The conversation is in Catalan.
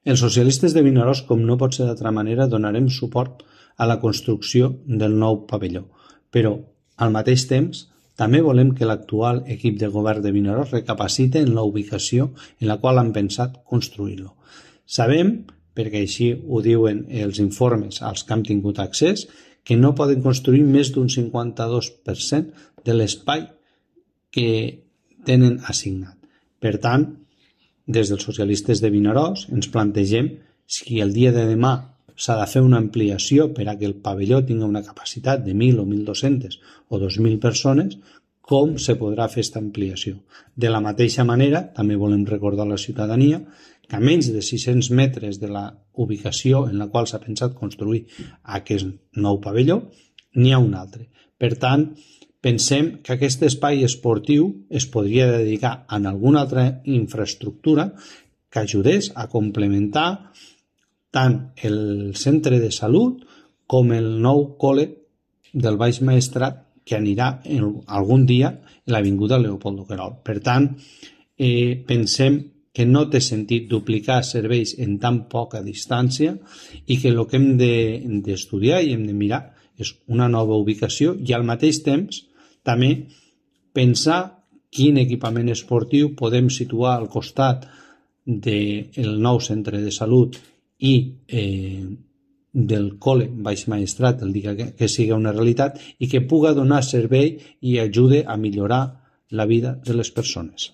Els socialistes de Vinaròs, com no pot ser d'altra manera, donarem suport a la construcció del nou pavelló, però al mateix temps també volem que l'actual equip de govern de Vinaròs recapacite en la ubicació en la qual han pensat construir-lo. Sabem, perquè així ho diuen els informes als que hem tingut accés, que no poden construir més d'un 52% de l'espai que tenen assignat. Per tant, des dels socialistes de Vinaròs ens plantegem si el dia de demà s'ha de fer una ampliació per a que el pavelló tingui una capacitat de 1.000 o 1.200 o 2.000 persones, com se podrà fer aquesta ampliació. De la mateixa manera, també volem recordar a la ciutadania que a menys de 600 metres de la ubicació en la qual s'ha pensat construir aquest nou pavelló, n'hi ha un altre. Per tant, pensem que aquest espai esportiu es podria dedicar a alguna altra infraestructura que ajudés a complementar tant el centre de salut com el nou col·le del Baix Maestrat que anirà algun dia a l'avinguda Leopoldo Querol. Per tant, pensem que no té sentit duplicar serveis en tan poca distància i que el que hem d'estudiar i hem de mirar és una nova ubicació i al mateix temps també pensar quin equipament esportiu podem situar al costat del nou centre de salut i del col·le Baix Maestrat el dia que sigui una realitat i que puga donar servei i ajude a millorar la vida de les persones.